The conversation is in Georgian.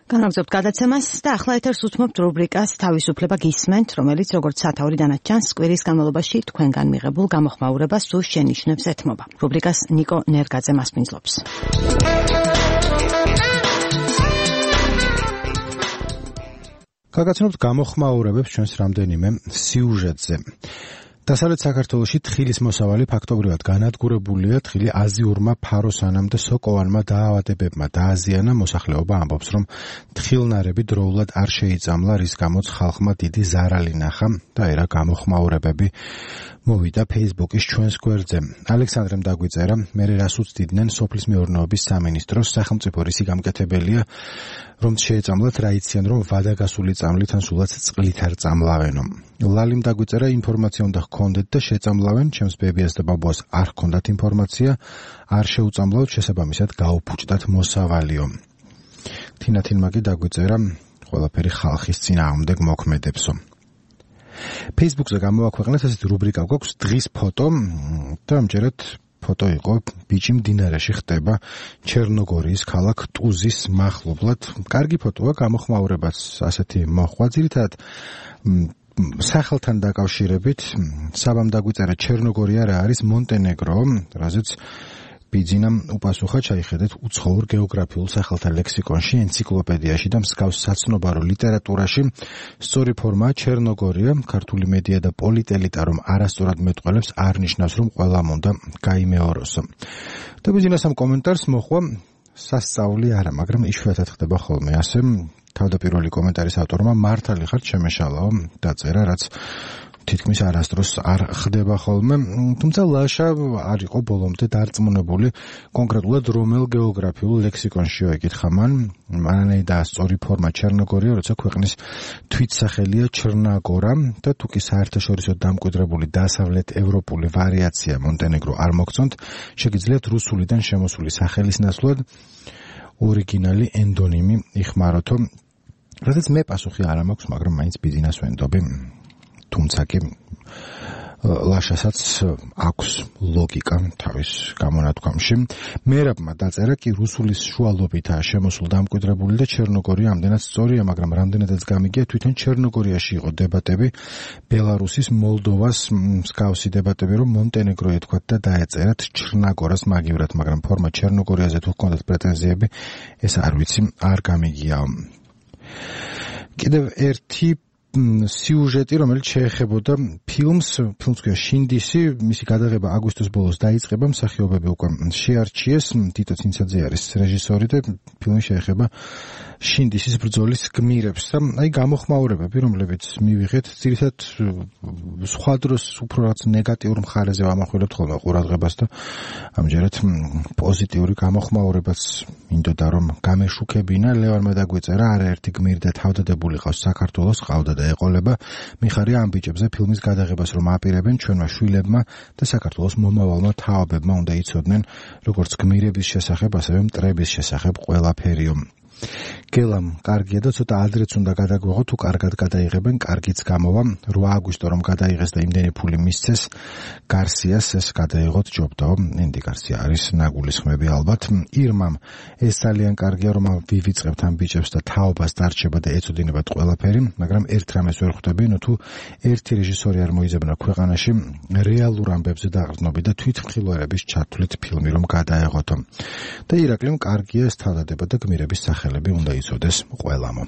განაგრძობთ გადაცემას და ახლა ეთერს უთმობთ რუბრიკას თავისუფლება გისმენთ, რომელიც როგორც სათაური დანაჩანს კვირის განმავლობაში თქვენგან მიღებულ გამოხმაურებას თუ შენიშვნებს ეთმობა. რუბრიკას ნიკო ნერგაძე მასპინძლობს. გაგაცნობთ გამოხმაურებებს ჩვენს რამდენიმე სიუჟეტზე. დასავლეთ საქართველოში თხილის მოსავალი ფაქტობრივად განადგურებულია. თხილი აზიურმა ფაროსანამ და სოკოვანმა დაავადებებმა დააზიანა. მოსახლეობა ამბობს, რომ თხილნარები დროულად არ შეიწამლა, რის გამოც ხალხმა დიდი ზარალი ნახა და ერა გამოხმაურებები მოვიდა Facebook-ის ჩვენს გვერდზე. ალექსანდრემ დაგვიწერა, მერე რას უცდიდნენ სოფლის მეურნეობის სამინისტროს, სახელმწიფო რისი გამკეთებელია, რომ შეეწამლათ, რა იციან, რომ ვადაგასული წამლით ან სულაც წყლით არ წამლავენო. ლალიმ დაგვიწერა, ინფორმაცია უნდა ჰქონდეთ და შეწამლავენ, ჩემს ბებიას და ბაბუას არ ჰქონდათ ინფორმაცია, არ შეუწამლავთ, შესაბამისად გაუფუჭდათ მოსავალიო. თინათინმა კი დაგვიწერა, ყველაფერი ხალხის წინააღმდეგ მოქმედებსო. Facebook-ზე გამოაქვეყნეთ ესეთი რუბრიკა გვაქვს დღის ფოტო და ამჯერად ფოტო იყო ბიჭი მდინარეში ხტება ჩერნოგორიის ქალაქ ტუზის მახლობლად. კარგი ფოტოა, გამოხმაურებაც ასეთი მოხვა. ძირითადად სახელთან დაკავშირებით საბამ დაგვიწერა ჩერნოგორია რა არის მონტენეგრო, რაზეც ბიძინამ უპასუხა, ჩაიხედეთ უცხოურ გეოგრაფიულ სახელთა ლექსიკონში, ენციკლოპედიაში და მსგავს საცნობარო ლიტერატურაში. სწორი ფორმაა ჩერნოგორია, ქართული მედია და პოლიტელიტა რომ არასწორად მეტყველებს, არ ნიშნავს, რომ ყველამ უნდა გაიმეოროსო. და ბიძინას ამ კომენტარს მოხვა სასწაული არა, მაგრამ იშვიათად ხდება ხოლმე ასე. თავდაპირველი კომენტარის ავტორმა მართალი ხარ შემეშალაო დაწერა, რაც თითქმის არასდროს არ ხდება ხოლმე, თუმცა ლაშა არ იყო ბოლომდე დარწმუნებული კონკრეტულად რომელ გეოგრაფიულ ლექსიკონშიო ეკითხა მან, მანაი დაასწორი ფორმა ჩერნოგორია, როცა ქვეყნის თვითსახელია ჩრნაგორა და თუკი საერთაშორისო დამკვიდრებული დასავლეთ ევროპული ვარიაცია მონტენეგრო არ მოგწონთ, შეგიძლიათ რუსულიდან შემოსული სახელის ნაცვლად ორიგინალი ენდონიმი იხმაროთო. რადგან მე პასუხი არ მაქვს, მაგრამ მაინც ბიძინას ვენდობი. თუმცა კი ლაშასაც აქვს ლოგიკა თავის გამონათქვამში. მერაბმა დაწერა კი რუსულის შუალობითაა შემოსულ დამკვიდრებული და ჩერნოგორია ამდენად სწორია, მაგრამ რამდენადაც გამიგია თვითონ ჩერნოგორიაში იყო დებატები, ბელარუსის, მოლდოვას მსგავსი დებატები, რომ მონტენეგრო ეთქვათ და დაეწერათ ჩრნაგორას მაგივრად, მაგრამ ფორმა ჩერნოგორიაზე თუ ჰქონდათ პრეტენზიები, ეს არ ვიცი, არ გამიგიაო. კიდევ ერთი სიუჟეტი, რომელიც შეეხებოდა ფილმს ქვია შინდისი, მისი გადაღება აგვისტოს ბოლოს დაიწყება, მსახიობები უკვე შეარჩიეს, თითო ცინცაძე არის რეჟისორი და ფილმი შეეხება შინდისის ბრძოლის გმირებს და აი გამოხმაურებები, რომლებიც მივიღეთ, ძირითადად სხვა დროს უფრო რაც ნეგატიურ მხარეზე ვამახვილებთ ხოლმე ყურადღებას და ამჯერად პოზიტიური გამოხმაურებაც მინდოდა რომ გამეშუქებინა. ლევანმა დაგვიწერა, არაერთი გმირი და თავდადებული ყავს საქართველოს, ყავდა და ეყოლება. მიხარია ამ ბიჭებზე ფილმის გადაღებას რომ აპირებენ, ჩვენმა შვილებმა და საქართველოს მომავალმა თავებებმა უნდა იცოდნენ, როგორც გმირების შესახებ, ასევე მტრების შესახებ ყველაფერიო. გელამ კარგია და ცოტა ადრეც უნდა გადაგვეღო, თუ კარგად გადაიღებენ, კარგიც გამოვა. 8 აგვისტო რომ გადაიღეს და იმდენი ფული მისცეს გარსიას, ეს გადაიღოთ ჯობდაო. ენდი გარსია არის ნაგულისხმები ალბათ. ირმამ ეს ძალიან კარგია, რომ ვივიწყებთ ამ ბიჭებს და თაობას დარჩება და ეწოდინებათ ყველაფერი, მაგრამ ერთ რამეს ვერ ხვდები, თუ ერთი რეჟისორი არ მოიძებნა ქვეყანაში რეალურ ამბებზე დაყრდნობით და თვითმხილველების ჩათვლით ფილმი რომ გადაეღოთო. და ირაკლიმ კარგია ეს თავდადება და გმირების სახელები უნდა იცოდეს ყველამ.